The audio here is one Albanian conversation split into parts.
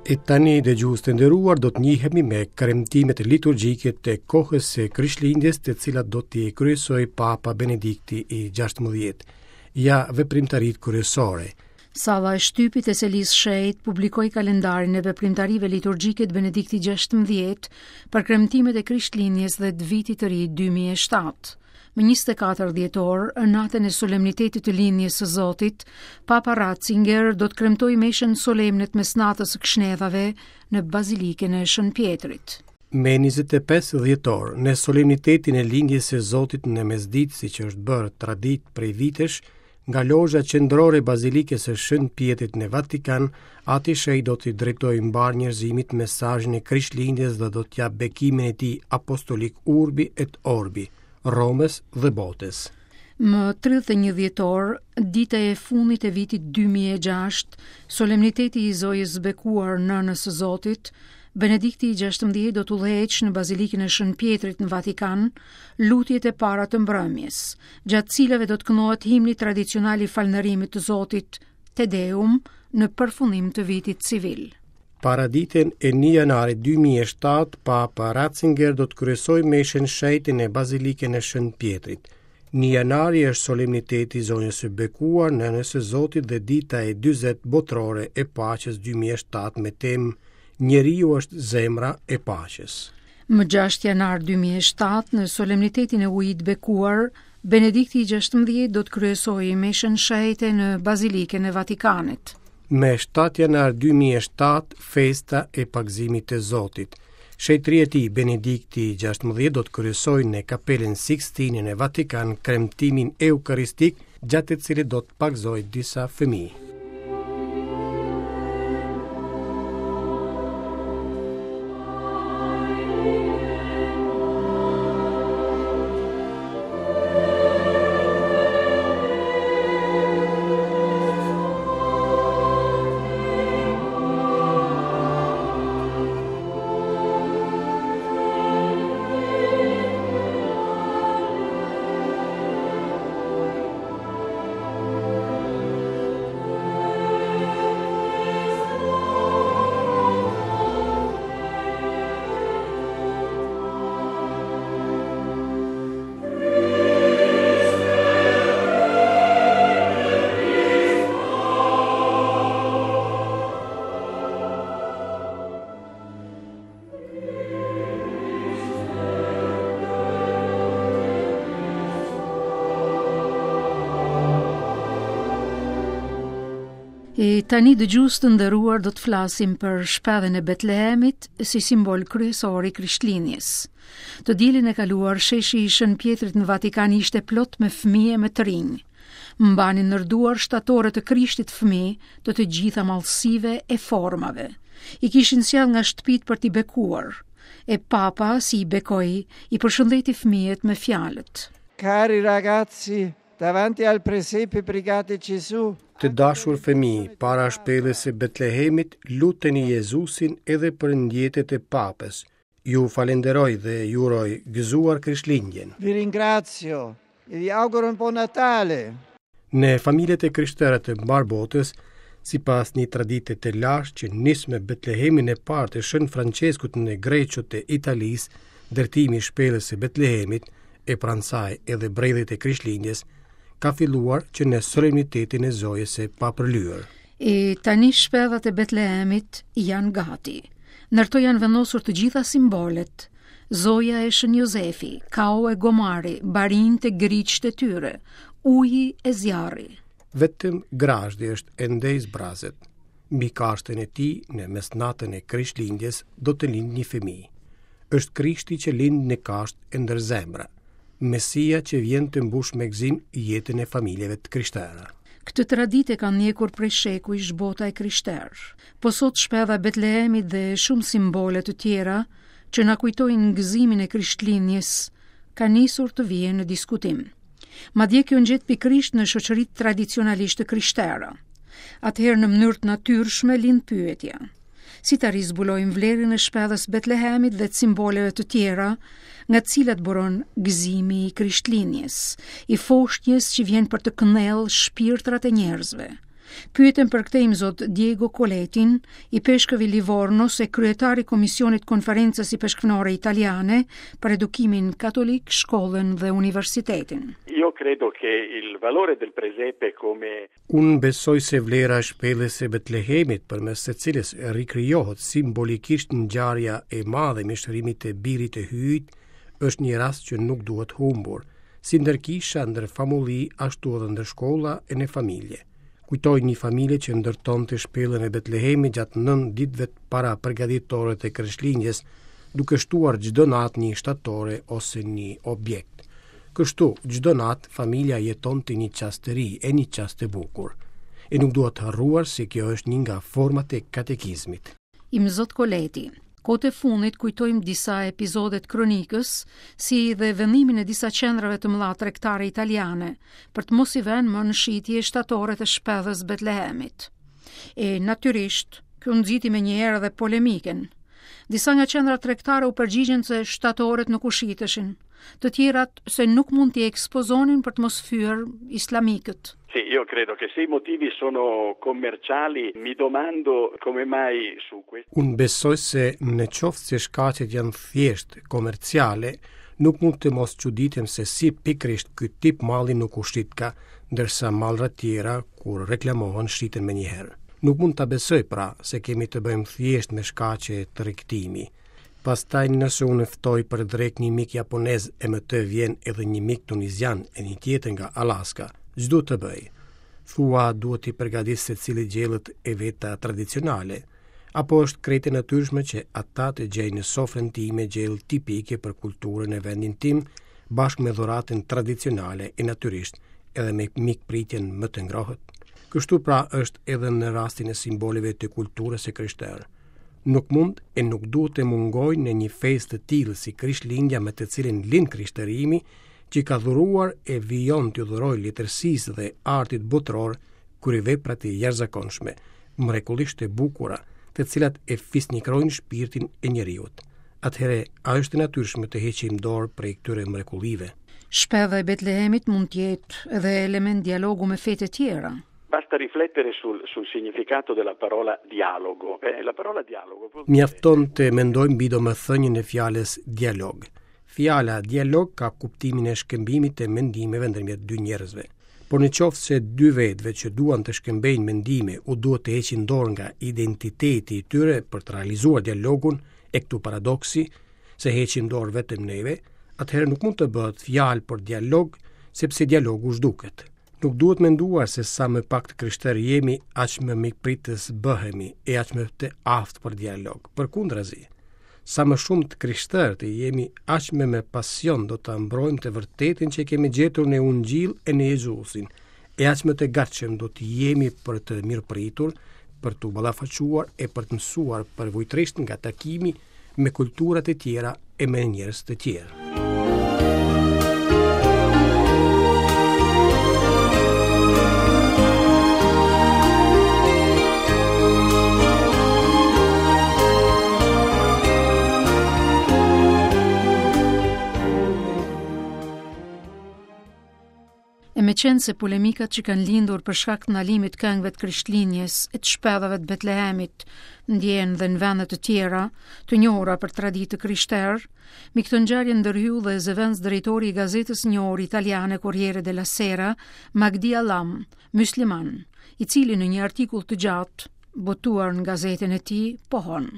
E tani dëgjues të nderuar do të njihemi me kremtimet liturgjike të kohës së Krishtlindjes të cilat do t'i kryesojë Papa Benedikti i 16. Ja veprimtaritë kryesore. Salla e shtypit e Selisë së Shenjtë publikoi kalendarin e veprimtarive liturgjike të Benediktit 16 për kremtimet e Krishtlindjes dhe të Vitit të Ri 2007. Më 24 dhjetor, natën e solemnitetit të lindjes së Zotit, Papa Ratzinger do të kremtojë meshën solemne të mesnatës së Këshnedhave në Bazilikën e Shën Pjetrit. Me 25 dhjetor, në solemnitetin e lindjes së Zotit në mesditë, siç është bërë traditë prej vitesh, Nga lozha qendrore e Bazilikës së Shën Pjetrit në Vatikan, Ati i Shenjtë do t'i drejtojë mbarë njerëzimit mesazhin e Krishtlindjes dhe do të japë bekimin e tij apostolik Urbi et Orbi, Romës dhe botës. Më 31 dhjetor, dita e fundit e vitit 2006, solemniteti i Zojës së Bekuar Nënës së Zotit, Benedikti i 16 do të udhëheqë në Bazilikën e Shën Pjetrit në Vatikan lutjet e para të mbrëmjes, gjatë cilave do të këndohet himni tradicional i falënderimit të Zotit, Te Deum, në përfundim të vitit civil. Paraditen e 1 janarit 2007, Papa Ratzinger do të kryesojë meshën e shenjtë në Bazilikën e Shën Pjetrit. 1 janari është solemniteti i Zonjës së Bekuar, Nënës së Zotit dhe dita e 40 botërore e paqes 2007 me temë Njeriu është zemra e paqes. Më 6 janar 2007, në solemnitetin e Ujit të Bekuar, Benedikti i 16 do të kryesojë meshën e shenjtë në Bazilikën e Vatikanit. Me 7 janar 2007, festa e pagëzimit të Zotit. Shenjtëria e tij Benedikti i 16 do të kryesojë në Kapelën Sixtine në Vatikan kremtimin eukaristik gjatë të cilit do të pagëzojë disa fëmijë. E tani dëgjues të nderuar do të flasim për shpellën e Betlehemit si simbol kryesor i Krishtlindjes. Të dielën e kaluar sheshi i Shën Pjetrit në Vatikan ishte plot me fëmijë e me të rinj. Mbanin ndër duar shtatore të Krishtit fëmijë të të gjitha madhësive e formave. I kishin sjellë nga shtëpitë për t'i bekuar. E papa, si i bekoi, i përshëndeti fëmijët me fjalët. Cari ragazzi, davanti al presepe pregate Gesù. Të dashur fëmijë, para shpellës së Betlehemit, luteni Jezusin edhe për ndjetet e Papës. Ju falenderoj dhe ju uroj gëzuar Krishtlindjen. Vi ringrazio e vi auguro un buon Natale. Në familjet e krishtera të mbarë botës, sipas një tradite të lashtë që nis me Betlehemin e parë të Shën Françeskut në Greço të Italisë, ndërtimi i shpellës së Betlehemit e pranë saj edhe bredhit e Krishtlindjes, ka filluar që në solemnitetin e Zojës së Papërlyer. E tani shpellat e Betlehemit janë gati. Ndër to janë vendosur të gjitha simbolet, Zoja e Shën Jozefi, kau e gomari, barinjtë e griqtë e tyre, uji e zjarri. Vetëm grazhdi është ende i zbrazët. Mbi kashtën e tij, në mesnatën e Krishtlindjes, do të lindë një fëmijë. Është Krishti që lind në kashtë e ndër zemra. Mesia që vjen të mbushë me gëzim jetën e familjeve të krishtera. Këtë traditë e ka ndjekur prej shekujsh bota e krishterë. Po sot shpella e Betlehemit dhe shumë simbole të tjera që na kujtojnë gëzimin e Krishtlindjes kanë nisur të vihen në diskutim. Madje kjo ngjet pikërisht në shoqëritë tradicionalisht të krishtera. Atëherë në mënyrë të natyrshme lind pyetja: Si ta rizbulojmë vlerën e shpellës Betlehemit dhe të simboleve të tjera, nga të cilat buron gëzimi i Krishtlindjes, i foshnjës që vjen për të këndellë shpirtrat e njerëzve? Pyetëm për këtë imzot Diego Coletin, ipeshkëv i Livornos e kryetar i Komisionit Konferencës Ipeshkvnore Italiane për Edukimin Katolik, Shkollën dhe Universitetin. Io credo che il valore del presepe come Unë besoj se vlera e shpellës së Betlehemit, përmes së cilës rikrijohet simbolikisht ngjarja e madhe e mishërimit të Birit të Hyjit, është një rast që nuk duhet humbur, si ndër kisha, ndër famulli, ashtu edhe ndër shkolla e në familje. Kujtoj një familje që ndërtonte shpellën e Betlehemit gjatë 9 ditëve parapërgatitore të Krishtlindjes, duke shtuar çdo natë një shtatore ose një objekt. Kështu, çdo natë familja jetonte një çast të ri e një çast të bukur. E nuk duhet harruar se kjo është një nga format e katekizmit. Imzot Koleti, Kohët e fundit kujtojmë disa episode të kronikës, si dhe vendimin e disa qendrave të mëdha tregtare italiane për të mos i vënë më në shitje shtatoret e shpellës Betlehemit. E natyrisht, kjo nxiti menjëherë edhe polemikën. Disa nga qendrat tregtare u përgjigjën se shtatoret nuk u shiteshin, të tjerat se nuk mund t'i ekspozonin për të mos fyer islamikët. Sì, io credo che se i motivi sono commerciali, mi domando come mai su questo. Unë besoj se në qoftë se shkaqet janë thjesht komerciale, nuk mund të mos çuditem se si pikërisht ky tip malli nuk u shitka, ndërsa mallrat tjera kur reklamohen shiten menjëherë. Nuk mund ta besoj pra se kemi të bëjmë thjesht me shkaqe tregtimi. Pastaj nëse unë ftoj për drekë një mik japonez e me të vjen edhe një mik tunizian e një tjetër nga Alaska, ç'duhet të bëj? Thua duhet t'i përgatis secilit gjellët e veta tradicionale, apo është krejt e natyrshme që ata të gjejnë në sofrën time gjellë tipike për kulturën e vendin tim, bashkë me dhuratën tradicionale e natyrisht edhe me mikpritjen më të ngrohtë? Kështu pra është edhe në rastin e simboleve të kulturës së krishterë. Nuk mund e nuk duhet të mungojnë në një festë të tillë si Krishtlindja me të cilën lind krishtërimi, që ka dhuruar e vijon të dhurojë letërsisë dhe artit botëror kryevepra të jashtëzakonshme, mrekullisht të bukura, të cilat e fisnikrojnë shpirtin e njeriut. Atëherë, a është e natyrshme të heqim dorë prej këtyre mrekullive? Shpella e Betlehemit mund të jetë edhe element dialogu me fetë e tjera. Basta riflettere sul, sul significato della parola dialogo. Eh, la parola dialogo vuol dire... Mjafton të mendojmë mbi domethënien e fjalës dialog. Fjala dialog ka kuptimin e shkëmbimit të mendimeve ndërmjet dy njerëzve. Por në qoftë se dy vetëve që duan të shkëmbejnë mendime u duhet të heqin dorë nga identiteti i tyre për të realizuar dialogun, e këtu paradoksi, se heqim dorë vetëm neve, atëherë nuk mund të bëhet fjalë për dialog, sepse dialogu zhduket. Nuk duhet menduar se sa më pak të krishterë jemi, aq më mikpritës bëhemi e aq më të aftë për dialog. Përkundrazi, sa më shumë të krishterë të jemi, aq më me pasion do ta mbrojmë të vërtetën që kemi gjetur në Ungjill e në Jezusin, e aq më të gatshëm do të jemi për të mirëpritur, për t'u ballafaquar e për të mësuar përvojtërisht nga takimi me kulturat e tjera e me njerëz të tjerë. E meqenëse polemikat që kanë lindur për shkak të ndalimit të këngëve të Krishtlindjes e të shpellave të Betlehemit ndjehen dhe në vende të tjera të njohura për traditë të krishterë, mbi këtë ngjarje ndërhyu dhe zëvendësdrejtori i gazetës së njohur italiane Corriere della Sera, Magdi Allam, mysliman, i cili në një artikull të gjatë botuar në gazetën e tij, pohon: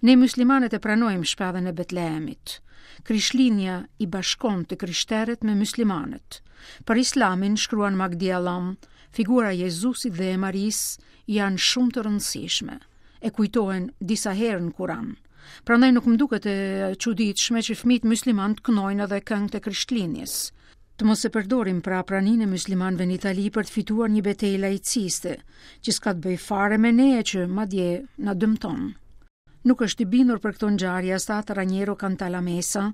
Ne myslimanët e pranojmë shpellën e Betlehemit. Krishtlindja i bashkon të krishterët me myslimanët. Për Islamin, shkruan Magdi Allam, figura e Jezusit dhe e Marisë janë shumë të rëndësishme. E kujtohen disa herë në Kuran. Prandaj nuk më duket e çuditshme që fëmijët myslimanë të këndojnë edhe këngët e Krishtlindjes. Të mos e përdorim pra praninë e myslimanëve në Itali për të fituar një betejë laiciste, që s'ka të bëjë fare me ne e që madje na dëmton. Nuk është i bindur për këto ngjarje as Atë Raniero Cantalamessa,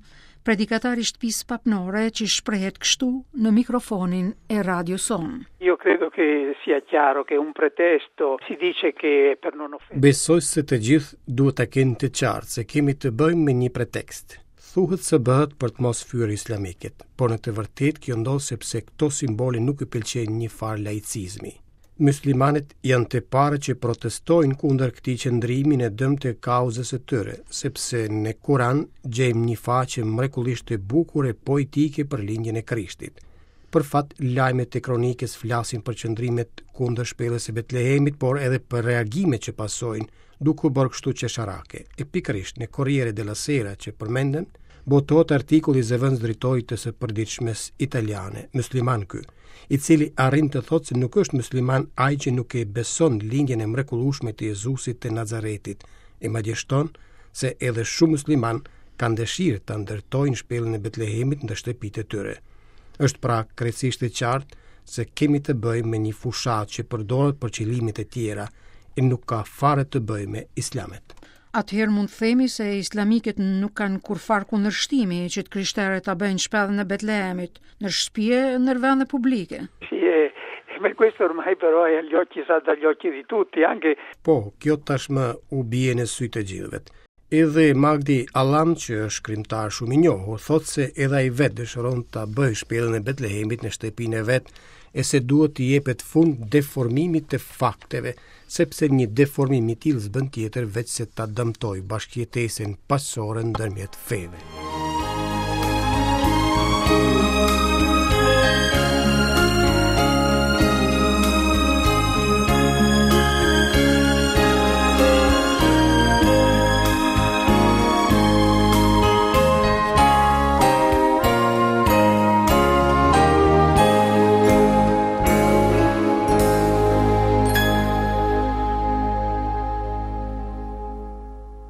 predikatar i shtëpisë papnore që shprehet kështu në mikrofonin e radios sonë. Io credo che sia chiaro che un pretesto si dice che per non offendere. Besoj se të gjithë duhet ta kenë të qartë se kemi të bëjmë me një pretekst. Thuhet se bëhet për të mos fyer islamikët, por në të vërtetë kjo ndodh sepse këto simbole nuk i pëlqejnë një farë laicizmi. Myslimanët janë të parët që protestojnë kundër këtij qëndrimi në dëm të kauzës së tyre, sepse në Kuran gjejmë një faqe mrekullisht të bukur e poetike për lindjen e Krishtit. Për fat, lajmet e kronikës flasin për qëndrimet kundër shpellës së Betlehemit, por edhe për reagimet që pasojnë, duke u bërë kështu qesharake. E pikërisht në Corriere della Sera që përmendëm, botohet artikulli i zëvendësdrejtorit të së përditshmes italiane, mysliman ky, i cili arrin të thotë se nuk është mysliman ai që nuk e beson lindjen e mrekullueshme të Jezusit të Nazaretit, e madje shton se edhe shumë myslimanë kanë dëshirë ta ndërtojnë shpellën e Betlehemit në shtëpitë e tyre. Është pra krejtësisht e qartë se kemi të bëjmë me një fushatë që përdoret për qëllime të tjera e nuk ka fare të bëjë me islamët. Atëherë mund të themi se islamikët nuk kanë kurrfarë kundërshtimi që të krishterët ta bëjnë shpellën e Betlehemit në shtëpi e në vende publike. Sì, e, ma questo ormai però è agli occhi, salta agli occhi di tutti, anche Po, kjo tashmë u bie në sy të gjithëve. Edhe Magdi Allam, që është shkrimtar shumë i njohur, thotë se edhe ai vetë dëshiron ta bëjë shpellën e Betlehemit në shtëpinë e vet e se duhet t'i jepet fund deformimit të fakteve, sepse një deformim i tillë s'bën tjetër veçse ta dëmtojë bashkëjetesën paqësore ndërmjet feve.